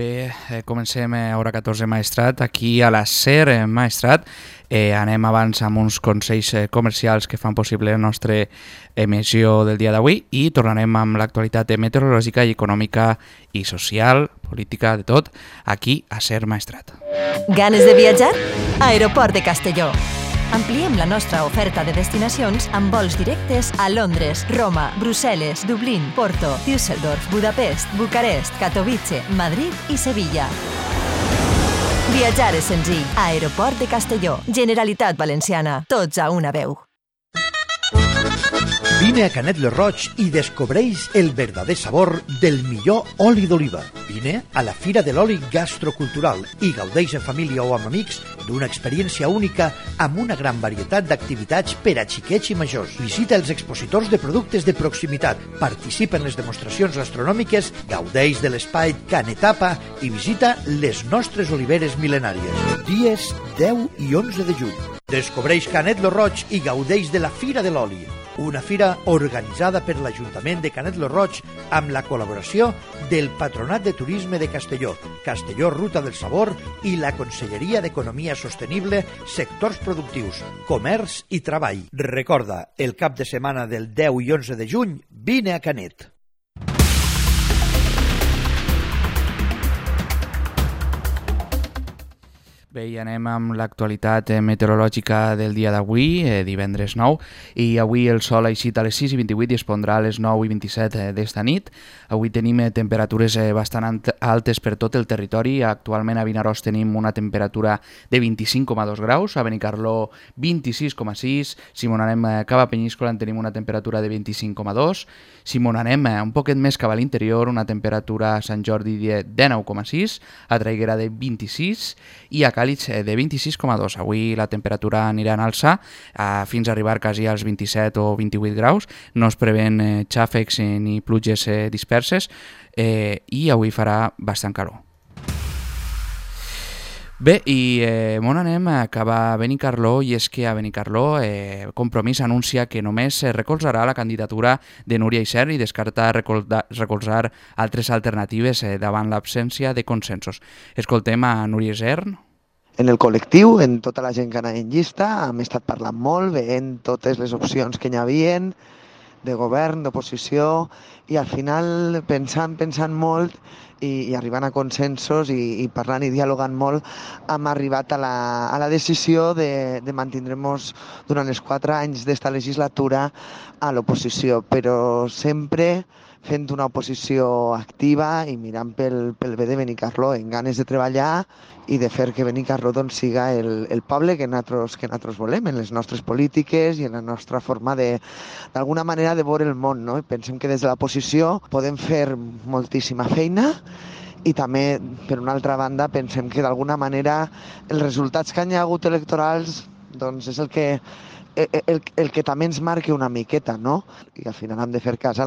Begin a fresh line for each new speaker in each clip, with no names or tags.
Bé, comencem a hora 14 Maestrat, aquí a la SER Maestrat. Anem abans amb uns consells comercials que fan possible la nostra emissió del dia d'avui i tornarem amb l'actualitat meteorològica i econòmica i social, política, de tot, aquí a SER Maestrat.
Ganes de viatjar? Aeroport de Castelló. Ampliem la nostra oferta de destinacions amb vols directes a Londres, Roma, Brussel·les, Dublín, Porto, Düsseldorf, Budapest, Bucarest, Katowice, Madrid i Sevilla. Viatjar és senzill. Aeroport de Castelló. Generalitat Valenciana. Tots a una veu.
Vine a Canet lo Roig i descobreix el verdader sabor del millor oli d'oliva. Vine a la Fira de l'Oli Gastrocultural i gaudeix en família o amb amics d'una experiència única amb una gran varietat d'activitats per a xiquets i majors. Visita els expositors de productes de proximitat, participa en les demostracions gastronòmiques, gaudeix de l'espai Canetapa i visita les nostres oliveres mil·lenàries. Dies 10 i 11 de juny. Descobreix Canet lo Roig i gaudeix de la Fira de l'Oli. Una fira organitzada per l'Ajuntament de Canet lo Roig amb la col·laboració del Patronat de Turisme de Castelló, Castelló Ruta del Sabor i la Conselleria d'Economia Sostenible, Sectors Productius, Comerç i Treball. Recorda, el cap de setmana del 10 i 11 de juny, vine a Canet.
Bé, i anem amb l'actualitat meteorològica del dia d'avui, divendres 9, i avui el sol ha eixit a les 6:28 i es pondrà a les 9:27 d'esta nit. Avui tenim temperatures bastant altes per tot el territori. Actualment a Vinaròs tenim una temperatura de 25,2 graus, a Benicarló 26,6, si m'on anem cap a Penyíscola en tenim una temperatura de 25,2, si m'on anem un poquet més cap a l'interior, una temperatura a Sant Jordi de 19,6, a Traiguera de 26 i a Càlig de 26,2. Avui la temperatura anirà en alça fins a arribar quasi als 27 o 28 graus. No es preven xàfecs ni pluges disperses i avui farà bastant calor. Bé, i on anem? Acaba Benicarló, i és que a Benicarló Compromís anuncia que només recolzarà la candidatura de Núria Isern i descarta recolzar altres alternatives davant l'absència de consensos. Escoltem a Núria Isern.
En el col·lectiu, en tota la gent que anava en llista, hem estat parlant molt, veient totes les opcions que hi havien, de govern, d'oposició, i al final pensant molt i arribant a consensos i parlant i dialogant molt, hem arribat a la decisió de mantindre'ns durant els 4 anys d'esta legislatura a l'oposició, però sempre fent una oposició activa i mirant pel bé de Benicarló, en ganes de treballar i de fer que Benicarló doncs, siga el poble que nosaltres volem, en les nostres polítiques i en la nostra forma d'alguna manera de veure el món. No? Pensem que des de l'oposició podem fer moltíssima feina i també, per una altra banda, pensem que d'alguna manera els resultats que hi ha hagut electorals doncs, és el que també ens marca una miqueta, no? I al final hem de fer cas a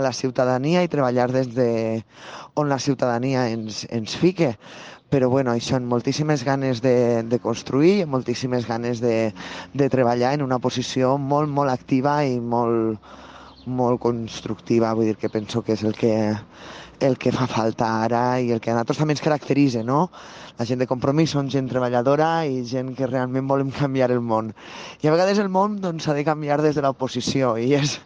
la ciutadania i treballar des de on la ciutadania ens fique. Però bueno, això, amb moltíssimes ganes de construir, moltíssimes ganes de treballar en una posició molt, molt activa i molt, molt constructiva. Vull dir que penso que és el que fa falta ara i el que a nosaltres també ens caracteritza, no? La gent de Compromís són gent treballadora i gent que realment volem canviar el món. I a vegades el món doncs, s'ha de canviar des de l'oposició i és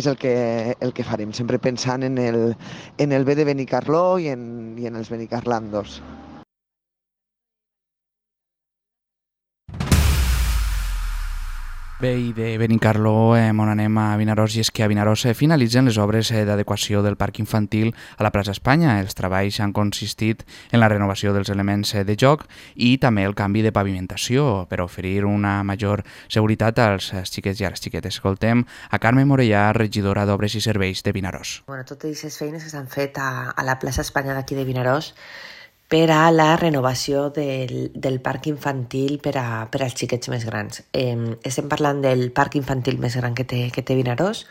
el que farem, sempre pensant en el bé de Benicarló i en els benicarlandos.
Bé, i de Benicarló on anem a Vinaròs, i és que a Vinaròs finalitzen les obres d'adequació del parc infantil a la plaça Espanya. Els treballs han consistit en la renovació dels elements de joc i també el canvi de pavimentació per oferir una major seguretat als xiquets i a les xiquetes. Escoltem a Carme Morellà, regidora d'Obres i Serveis de Vinaròs.
Totes aquestes feines que s'han fet a la plaça Espanya d'aquí de Vinaròs per a la renovació del parc infantil per als xiquets més grans. Estem parlant del parc infantil més gran que té Vinaròs.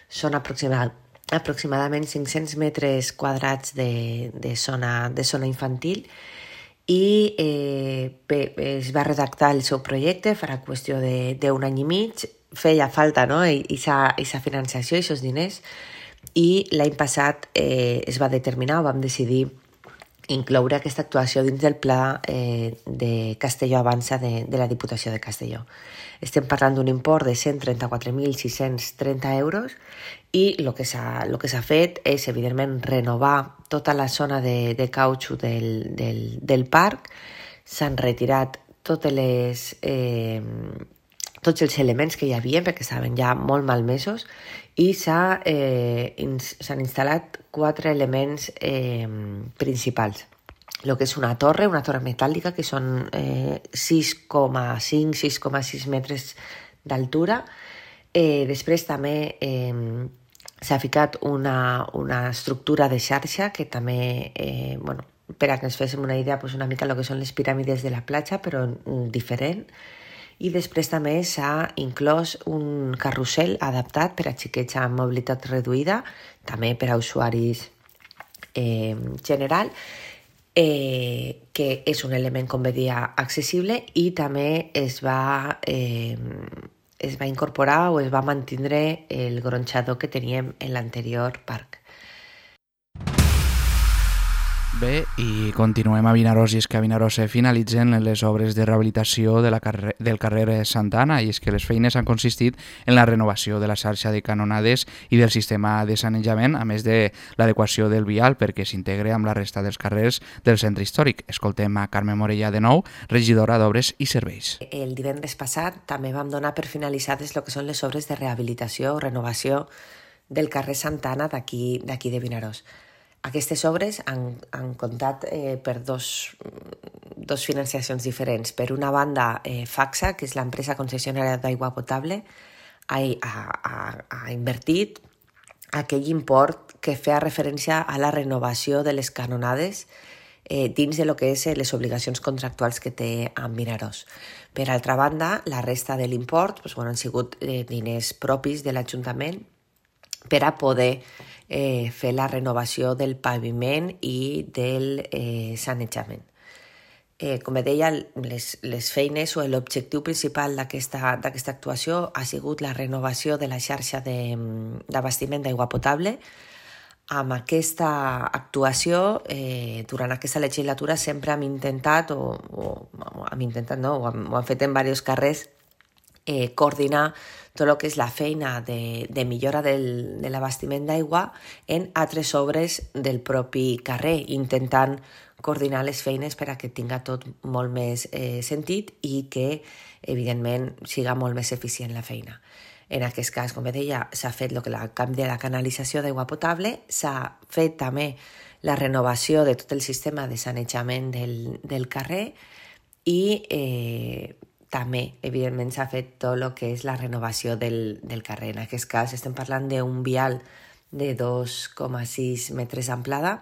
Són aproximadament 500 metres quadrats de zona infantil i es va redactar el seu projecte, farà qüestió d'un any i mig. Feia falta, no? Aquesta financiació, aquests diners, i l'any passat es va determinar, o vam decidir incloure aquesta actuació dins del pla de Castelló Avança de la Diputació de Castelló. Estem parlant d'un import de 134.630 euros i el que s'ha fet és, evidentment, renovar tota la zona de cautxú del parc. S'han retirat tots els elements que hi havia perquè estaven ja molt malmesos i s'han instal·lat 4 elements principals. El que és una torre metàl·lica, que són 6,6 metres d'altura. Després també s'ha ficat una estructura de xarxa que també, per a que ens féssim una idea, una mica el que són les piràmides de la platja, però diferent. I després també s'ha inclòs un carrusel adaptat per a xiquets amb mobilitat reduïda, també per a usuaris general, que és un element, com bé dia, accessible, i també es va incorporar o es va mantindre el gronxador que teníem en l'anterior parc.
Bé, i continuem a Vinaròs, i és que a Vinaròs se finalitzen les obres de rehabilitació del carrer Santana, i és que les feines han consistit en la renovació de la xarxa de canonades i del sistema de sanejament, a més de l'adequació del vial perquè s'integre amb la resta dels carrers del centre històric. Escoltem a Carme Morella de nou, regidora d'Obres i Serveis.
El divendres passat també vam donar per finalitzades el que són les obres de rehabilitació o renovació del carrer Santana d'aquí de Vinaròs. Aquestes obres han comptat per dos financiacions diferents. Per una banda, FACSA, que és l'empresa concessionària d'aigua potable, ha invertit aquell import que feia referència a la renovació de les canonades dins de lo que és les obligacions contractuals que té amb Vinaròs. Per altra banda, la resta de l'import han sigut diners propis de l'Ajuntament per a poder fer la renovació del paviment i del sanejament. Com deia, les feines o l'objectiu principal d'aquesta actuació ha sigut la renovació de la xarxa d'abastiment d'aigua potable. Amb aquesta actuació, durant aquesta legislatura, sempre hem intentat, ho hem fet en diversos carrers, coordinar tot el que és la feina de millora de l'abastiment d'aigua en altres obres del propi carrer, intentant coordinar les feines per a que tinga tot molt més sentit i que, evidentment, siga molt més eficient la feina. En aquest cas, com deia, s'ha fet el canvi de la canalització d'aigua potable, s'ha fet també la renovació de tot el sistema de sanejament del carrer i també, evidentment, s'ha fet tot el que és la renovació del carrer. En aquest cas estem parlant d'un vial de 2,6 metres d'amplada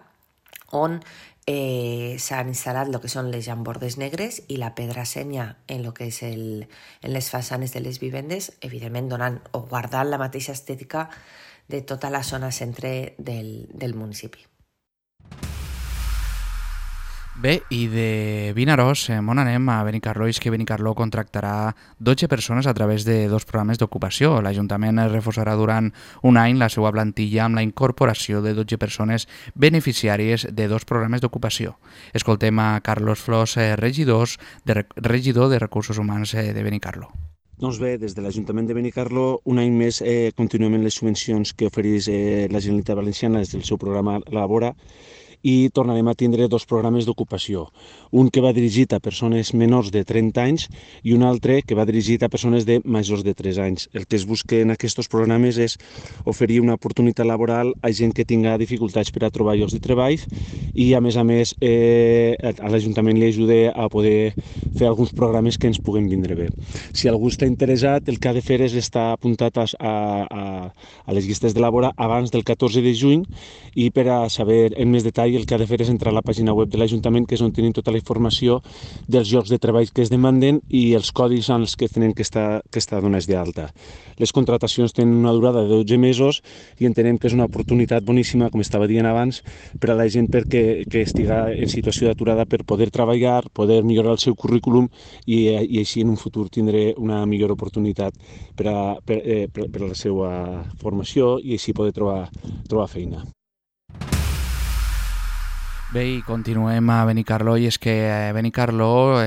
on s'han instal·lat el que són les llambordes negres i la pedra senya en les façanes de les vivendes, evidentment donant o guardant la mateixa estètica de tota la zona centre del municipi.
Bé, i de Vinaròs, on anem a Benicarló? És que Benicarló contractarà 12 persones a través de 2 programes d'ocupació. L'Ajuntament reforçarà durant un any la seva plantilla amb la incorporació de 12 persones beneficiàries de 2 programes d'ocupació. Escoltem a Carlos Flors, regidor de Recursos Humans de Benicarló.
Doncs bé, des de l'Ajuntament de Benicarló, un any més continuem amb les subvencions que ofereix la Generalitat Valenciana des del seu programa Labora, i tornarem a tindre 2 programes d'ocupació. Un que va dirigit a persones menors de 30 anys i un altre que va dirigit a persones de majors de 3 anys. El que es busca en aquests programes és oferir una oportunitat laboral a gent que tinga dificultats per a trobar llocs de treball i, a més, a l'Ajuntament li ajuda a poder fer alguns programes que ens puguen vindre bé. Si algú està interessat, el que ha de fer és estar apuntat a les llistes de Labora abans del 14 de juny i per a saber en més detall el que ha de fer és entrar a la pàgina web de l'Ajuntament, que és on tenim tota la informació dels llocs de treball que es demanden i els codis en els que tenen que estar donats d'alta. Les contratacions tenen una durada de 12 mesos i entenem que és una oportunitat boníssima, com estava dient abans, per a la gent que estiga en situació d'aturada per poder treballar, poder millorar el seu currículum i així en un futur tindre una millor oportunitat per a la seva formació i així poder trobar feina.
Bé, i continuem a Benicarló, i és que Benicarló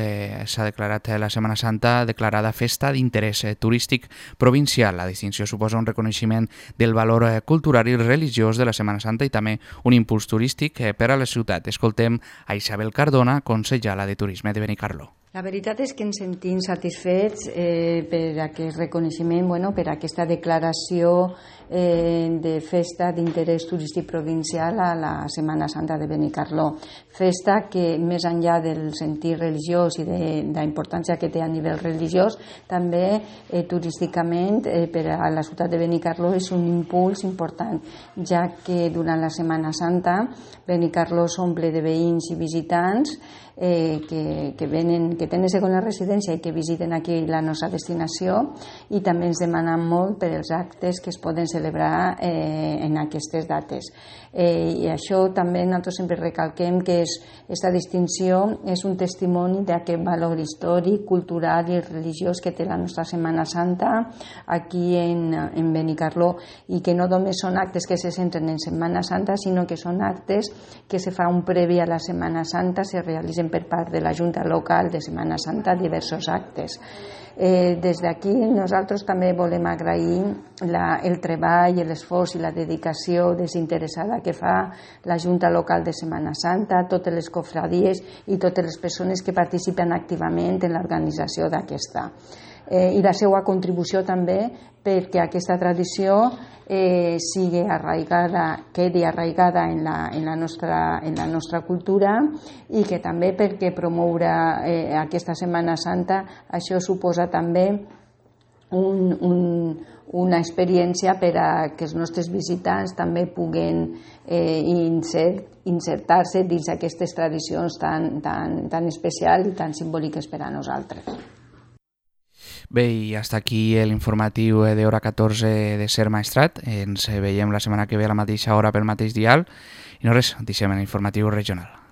s'ha declarat la Setmana Santa declarada festa d'interès turístic provincial. La distinció suposa un reconeixement del valor cultural i religiós de la Setmana Santa i també un impuls turístic per a la ciutat. Escoltem a Isabel Cardona, consellera de Turisme de Benicarló.
La veritat és que ens sentim satisfets per aquest reconeixement, per aquesta declaració de festa d'interès turístic provincial a la Setmana Santa de Benicarló. Festa que, més enllà del sentit religiós i de la importància que té a nivell religiós, també turísticament per a la ciutat de Benicarló és un impuls important, ja que durant la Setmana Santa Benicarló s'omple de veïns i visitants que tenen segona residència i que visiten aquí la nostra destinació, i també ens demanen molt per els actes que es poden celebrar en aquestes dates. I això també nosaltres sempre recalquem que aquesta distinció és un testimoni d'aquest valor històric, cultural i religiós que té la nostra Setmana Santa aquí en Benicarló, i que no només són actes que se centren en Setmana Santa, sinó que són actes que se fa un previ a la Setmana Santa, se realitzen per part de la Junta Local de Setmana Santa diversos actes. Des d'aquí nosaltres també volem agrair el treball, l'esforç i la dedicació desinteressada que fa la Junta Local de Setmana Santa, totes les cofradies i totes les persones que participen activament en l'organització d'aquesta. I la seva contribució també perquè aquesta tradició sigui arraigada, quedi arraigada en la nostra cultura, i que també perquè promoure aquesta Setmana Santa això suposa també una experiència per a que els nostres visitants també puguen insertar-se dins aquestes tradicions tan especials i tan simbòliques per a nosaltres.
Bé, i hasta aquí l'informatiu d'hora 14 de Ser Maestrat. Ens veiem la setmana que ve a la mateixa hora pel mateix dial. I no res, deixem l'informatiu regional.